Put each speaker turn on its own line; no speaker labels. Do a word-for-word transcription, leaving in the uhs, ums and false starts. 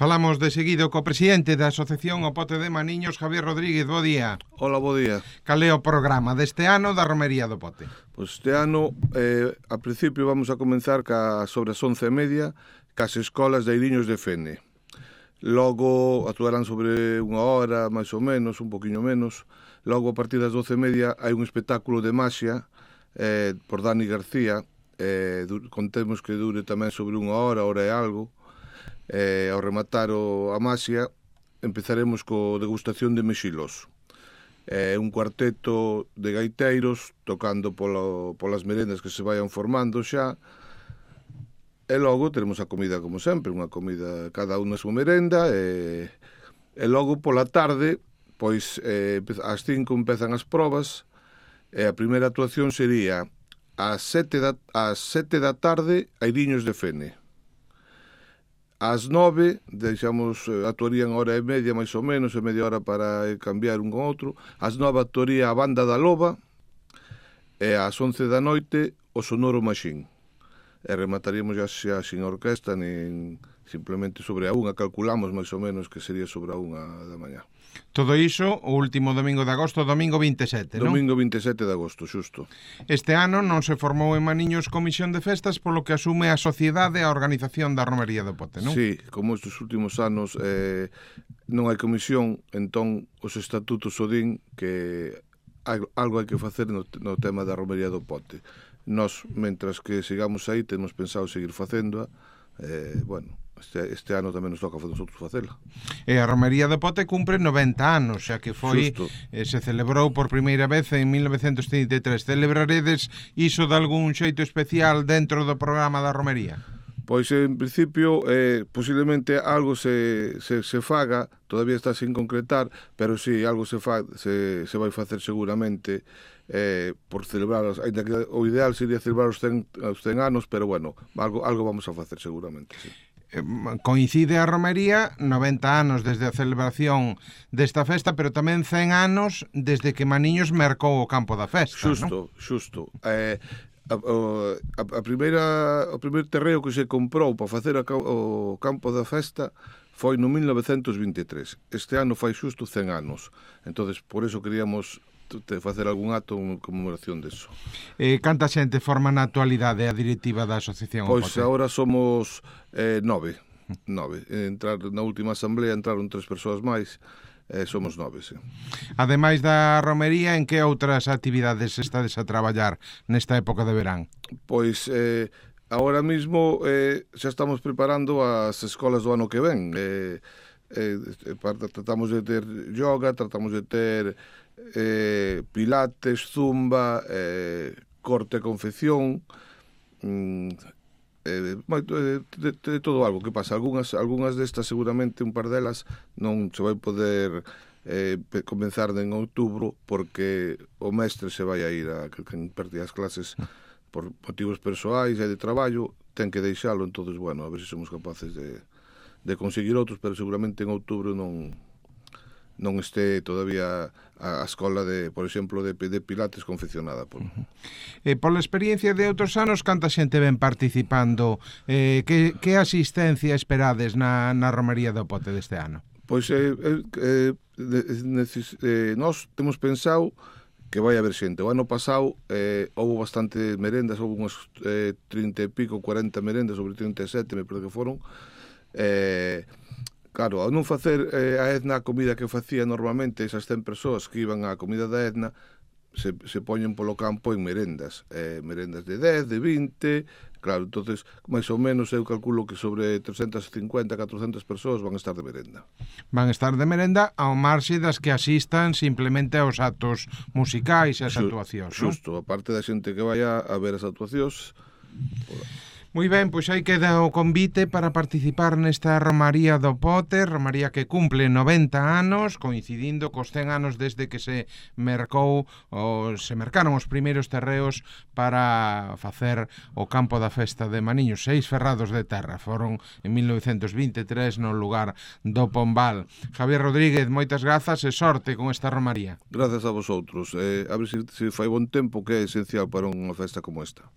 Falamos de seguido co presidente da Asociación O Pote de Maniños, Javier Rodríguez. Bo día.
Hola, bo día.
Cal é o programa deste ano da Romería do Pote?
Pois este ano, eh, a principio vamos a comenzar ca, sobre as once e media cas escolas de Eiriños de Fene. Logo actuarán sobre unha hora, máis ou menos, un poquinho menos. Logo, a partir das doce e media, hai un espectáculo de maxia eh, por Dani García. Eh, contemos que dure tamén sobre unha hora, hora e algo. Eh, ao rematar o, a maxia, empezaremos co degustación de mexilos. Eh, un cuarteto de gaiteiros tocando polo, polas merendas que se vayan formando xa. E logo teremos a comida como sempre, unha comida cada unha a súa merenda. E, e logo pola tarde, pois eh, ás cinco empezan as probas. E a primeira actuación sería ás sete da, ás sete da tarde a Eiriños de Fene. Ás nove, deixamos, actuarían hora e media, máis ou menos, e media hora para cambiar un con outro. Ás nove actuaría a Banda da Loba, e ás once da noite o Sonoro Machín. E remataríamos xa, xa sin orquesta, nin simplemente sobre a unha, calculamos máis ou menos que sería sobre a unha da mañá.
Todo iso o último domingo de agosto, domingo vinte e sete, non?
Domingo vinte e sete de agosto, xusto.
Este ano non se formou en Maniños comisión de festas, polo que asume a sociedade a organización da Romería do Pote, non?
Sí, como estes últimos anos eh, non hai comisión, entón os estatutos o din que algo hai que facer no, no tema da Romería do Pote. Nós, mentras que sigamos aí, temos pensado seguir facéndoa. Eh, bueno, este, este ano tamén nos toca a nosotros facela.
E a Romería do Pote cumpre noventa anos, xa que foi eh, se celebrou por primeira vez en mil novecentos trinta e tres. Celebraredes iso de algún xeito especial dentro do programa da Romería?
Pois, en principio, eh, posiblemente algo se, se, se faga, todavía está sin concretar, pero sí, algo se, fa, se, se vai facer seguramente eh, por celebrar, ainda que o ideal sería celebrar os cen, os cen anos, pero bueno, algo, algo vamos a facer seguramente, sí.
Coincide a Romería noventa anos desde a celebración desta festa, pero tamén cen anos desde que Maniños mercou o campo da festa,
xusto,
non?
Xusto, eh, a, a, a primeira, o primeiro terreo que se comprou para facer a, o campo da festa foi no mil novecentos vinte e tres. Este ano fai xusto cen anos, entonces por eso queríamos te facer algún acto en conmemoración deso.
Eh, canta xente forma na actualidade a directiva da asociación?
Pois agora somos eh, nove, nove. Entrar na última asamblea entraron tres persoas máis, eh, somos nove, sí.
Ademais da romería, en que outras actividades estades a traballar nesta época de verán?
Pois eh, agora mismo eh, xa estamos preparando as escolas do ano que ven. Eh, eh, tratamos de ter yoga, tratamos de ter Eh, pilates, zumba, eh, corte e confección, mm, eh, de, de, de todo algo. Que pasa? Algúnas, algúnas destas seguramente un par delas non se vai poder eh, comenzar en outubro porque o mestre se vai a ir a que impartir as clases por motivos persoais e de traballo, ten que deixalo. Entonces, bueno, a ver se somos capaces de, de conseguir outros, pero seguramente en outubro non non este todavía a, a escola de, por exemplo, de, de pilates confeccionada por.
Uh-huh. Eh, pola experiencia de outros anos, canta xente ven participando? Eh, que, que asistencia esperades na, na Romería do Pote deste ano?
Pois eh, eh, neces, eh, nós temos pensado que vai haber xente. O ano pasado eh, houve bastante merendas, houve unhas eh, trinta e pico, cuarenta merendas, sobre trinta e sete, me parece que foron. Eh, Claro, ao non facer eh, a Edna a comida que facía normalmente, esas cen persoas que iban á comida da Edna, se, se poñen polo campo en merendas, eh, merendas de dez, de vinte, claro, entonces, máis ou menos eu calculo que sobre trescentas cincuenta, catrocentas persoas van estar de merenda.
Van estar de merenda ao marxe das que asistan simplemente aos actos musicais e as actuacións, non?
Xusto, a parte da xente que vai a, a ver as actuacións.
Moi ben, pois aí queda o convite para participar nesta Romaría do Pote, Romaría que cumple noventa anos, coincidindo cos cen anos desde que se mercou, ou se mercaron os primeiros terreos para facer o campo da festa de Maniños. Seis ferrados de terra foron en mil novecentos vinte e tres no lugar do Pombal. Javier Rodríguez, moitas grazas e sorte con esta Romaría.
Grazas a vosotros. Eh, a ver se, se fai bon tempo, que é esencial para unha festa como esta.